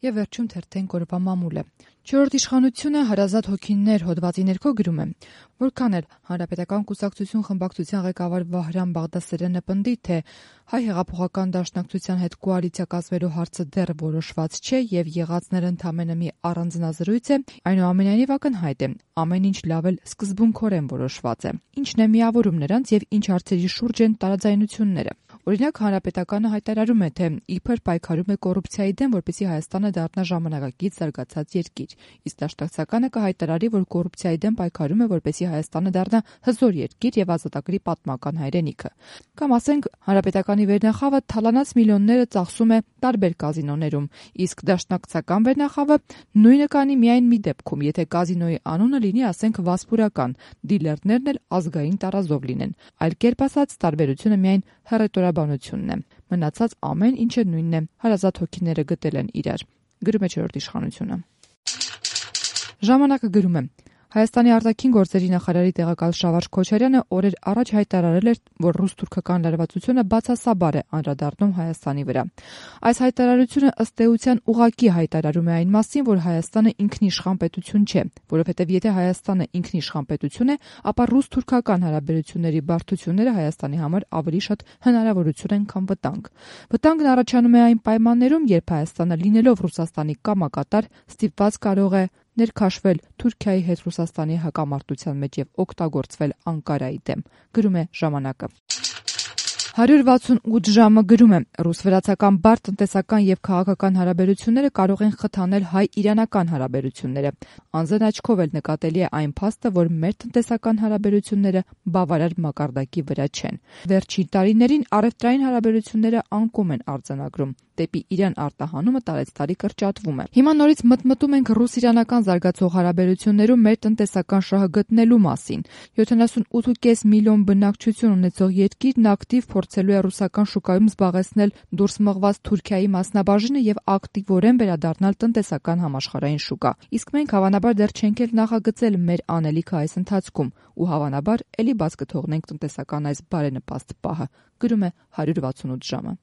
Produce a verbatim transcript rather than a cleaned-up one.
Եվ վերջում թերթեն օրվա մամուլը։ Չորրորդ իշխանությունը հարազատ հոգիներ հոդվածի ներքո գրում է. որքան էլ Հանրապետական կուսակցություն խմբակցության ղեկավար Վահրամ Բաղդասարյանը պնդի, թե Հայ հեղափոխական դաշնակցության հետ կոալիցիա կազմելու հարցը դեռ որոշված չէ եւ եղածները ընդամենը մի առանձնազրույց է, այնուամենայնիվ ակնհայտ է, ամեն ինչ լավ էլ սկզբունքորեն որոշված է։ Ինչն է միավորում նրանց եւ ինչ հարցերի շուրջ են տարաձայնությունները։ Օրինակ, Հանրապետականը հայտարարում է, թե իբր պայքարում է կոռուպցիայի դեմ, որպեսզի Հայաստանը դառնա ժամանակակից զարգացած երկիր, իսկ դաշնակցականը կհայտարարի, որ կոռուպցիայի դեմ պայքարում է, որպեսզի Հայաստանը դառնա հզոր երկիր եւ ազատագրի պատմական հայրենիքը։ Կամ ասենք, Հանրապետականի վերնախավը թալանած միլիոնները ծախսում է տարբեր կազինոներում, իսկ դաշնակցական վերնախավը նույնը կանի միայն մի դեպքում, եթե կազինոյի անունը լինի, ասենք, Վասպուրական, դիլերներն էլ ազգային տարազով լինեն։ Այլ կերպ ասած, տարբերությունը միայն հռետորաբանությունն է։ Մնացած ամեն ինչը նույնն է, հարազատ հոգիները գտել են իրար, գրում է չորրորդ իշխանությունը։ Ժամանակը գրում է. Հայաստանի արտաքին գործերի նախարարի տեղակալ Շավարժ Քոչարյանը օրեր առաջ հայտարարել էր, որ ռուս-թուրքական լարվածությունը բացասաբար է անդրադառնում Հայաստանի վրա։ Այս հայտարարությունը ըստ էության ուղղակի հայտարարում է այն մասին, որ Հայաստանը ինքնիշխան պետություն չէ, որովհետև եթե Հայաստանը ինքնիշխան պետություն է, ապա ռուս-թուրքական հարաբերությունների բարդությունները Հայաստանի համար ավելի շատ հնարավորություն են, քան վտանգ։ Վտանգն առաջանում է այն պայմաններում, երբ Հայաստանը լինելով Ռուսաստանի կամակատար ստիպված կարող է ներքաշվել Թուրքիայի հետ Ռուսաստանի հակամարտության մեջ եւ օգտագործվել Անկարայի դեմ, գրում է ժամանակը։ հարյուր վաթսունութ ժամը գրում է. ռուս-վրացական բարդ տնտեսական եւ քաղաքական հարաբերությունները կարող են խթանել հայ-իրանական հարաբերությունները։ Անձն աչքով էլ նկատելի է այն փաստը, որ մեր տնտեսական հարաբերությունները բավարար մակարդակի վրա չեն։ Վերջին տարիներին առևտրային հարաբերությունները անկում են արձանագրում, դեպի Իրան արտահանումը տարեցտարի կրճատվում է։ Հիմա նորից մտմտում ենք ռուս-իրանական զարգացող հարաբերություններում մեր տնտեսական շահը գտնելու մասին։ յոթանասունութ կόμμα պենս միլիոն բնակչություն ունեցող երկիրն ակտիվ փորձելու է ռուսական շուկայում զբաղեցնել դուրս մղված Թուրքիայի մասնաբաժինը եւ ակտիվորեն վերադառնալ տնտեսական համաշխարհային շուկա։ Իսկ մենք հավանաբար դեռ չենք էլ նախագծել մեր անելիքը այս ընթացքում ու հավանաբար ելի բաց կթողնենք տնտեսական այս բարենպաստ պահը, գրում է հարյուր վաթսունութ ժամը։